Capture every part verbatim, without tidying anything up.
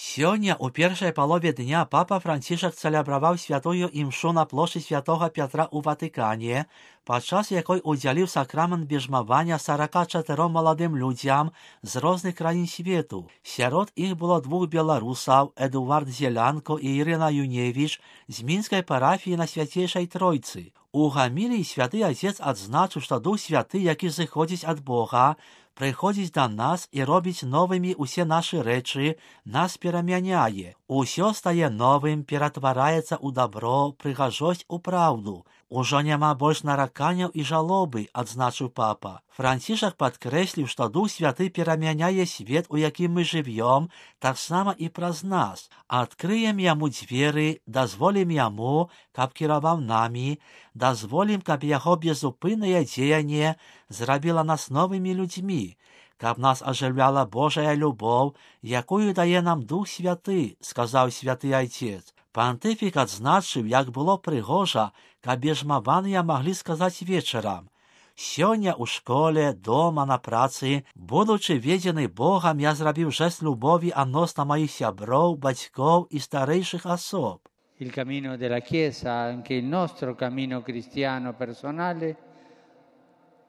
Сёння у першай палове дня папа Францішак цэлябраваў святую імшу на плошчы святога Пятра ў Ватыкане, падчас якой удзяліў сакрамент бежмавання сарака чатыром маладым людзям з розных краін свету. Сярод іх было двух беларусаў, Эдуард Зелянко і Ірына Юневіч з мінскай парафіі на Свяцейшай Тройцы. У гаміліі святы адзец адзначыў, што Дух Святы, які зыходзіць ад Бога, прыходзіць да нас і робіць новымі ўсе нашы рэчы, нас перамяняе. Усё стае новым, ператвараецца ў дабро, прыгажосць у праўду. Ужо няма больш нараканняў і жалобы, адзначыў папа. Францішак падкрэсліў, што Дух Святы перамяняе свет, у якім мы жывём, таксама і праз нас. Адкрыем яму дзверы, дазволім яму, каб кіраваў намі, дазволім, каб яго безупыннае дзеянне зрабіла нас новымі людзьмі, каб нас ажыўляла Божая любоў, якую дае нам Дух Святы, сказаў святы Айцец. Пантыфік адзначыў, як было прыгожа, каб бежмаваныя маглі сказаць вечарам: «Сёння ў школе, дома, на працы, будучы ведзены Богам, я зрабіў жэст любові адносна маіх сяброў, бацькоў і старэйшых асоб». Il cammino della Chiesa, anche il nostro cammino cristiano personale,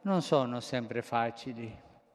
non sono sempre facili.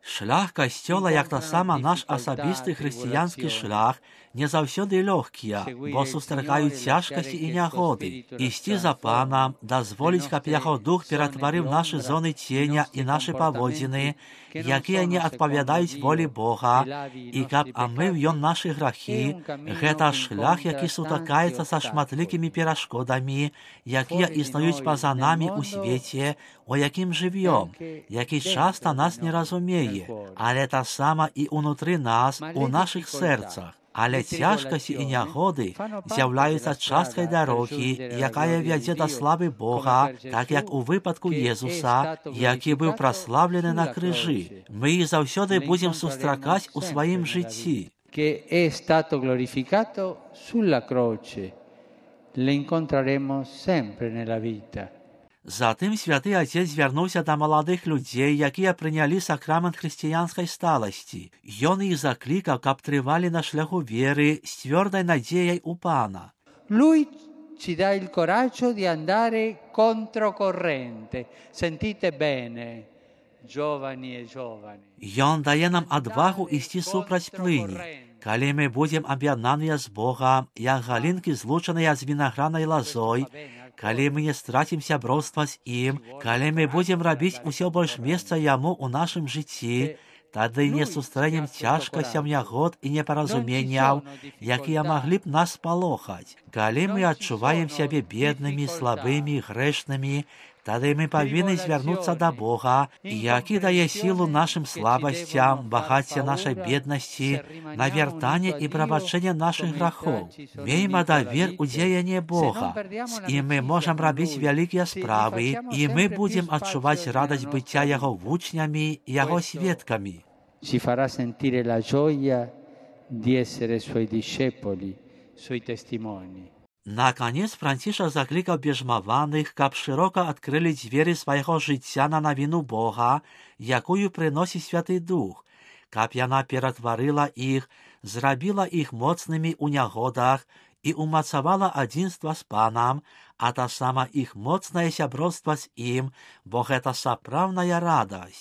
Шлях касцёла, як таксама наш асабісты хрысціянскі шлях, не заўсёды лёгкія, бо сустракаюць цяжкасці і нягоды. Ісці за панам, дазволіць, каб яго дух ператварыў нашы зоны ценя і нашы паводзіны, якія не адпавядаюць волі Бога, і каб амыў ён нашы грахі, гэта шлях, які сутыкаецца са шматлікімі перашкодамі, якія існуюць па-за намі ў свеце, у якім жывём, які часта нас не разумее, але таксама і ўнутры нас, у нашых сэрцах. Але цяжкасці і нягоды з'яўляюцца часткай дарогі, якая вядзе да славы Бога, так як у выпадку Езуса, які быў праславлены на крыжы. Мы іх заўсёды будзем сустракаць у сваім жыцці. Que è stato glorificato sulla croce, le incontreremo sempre nella vita. Затым святы Адзец звярнуўся да маладых людзей, якія прынялі сакрамент хрысціянскай сталасці. Ён іх заклікаў, каб трывалі на шляху веры з цвёрдай надзеяй у Пана. Lui ci dà il coraggio di andare controcorrente. Sentite bene, giovani e giovani. Ён дае нам адвагу ісці супраць плыні. Калі мы будзем аб'яднаныя з Богам, як галінкі злучаныя з вінагранай лазой, калі мы не страцім сяброўства з ім, калі мы будзем рабіць усё больш месца яму ў нашым жыцці, тады не сустрэнем цяжкасцям, нягод і непаразуменняў, якія маглі б нас палохаць. Калі мы адчуваем сябе беднымі, слабымі, грэшнымі, тады мы павінны звярнуцца да Бога, які дае сілу нашым слабасцям, багацце нашай беднасці, на вяртанне і прабачэнне нашых грахоў. Мейма давер у дзеянне Бога. З ім мы можам рабіць вялікія справы, і мы будзем адчуваць радасць быцця яго вучнямі і яго сведкамі. Ci farà sentire la gioia di essere suoi discepoli, suoi testimoni. Наконец, Францішак заклікаў бежмаваных, каб шырока адкрылі дзверы свайго жыцця на навіну Бога, якую прыносіць Святы Дух, каб яна ператварыла іх, зрабіла іх моцнымі ў нягодах і умацавала адзінства з Панам, а таксама іх моцнае сяброўства з ім, бо гэта сапраўдная радасць.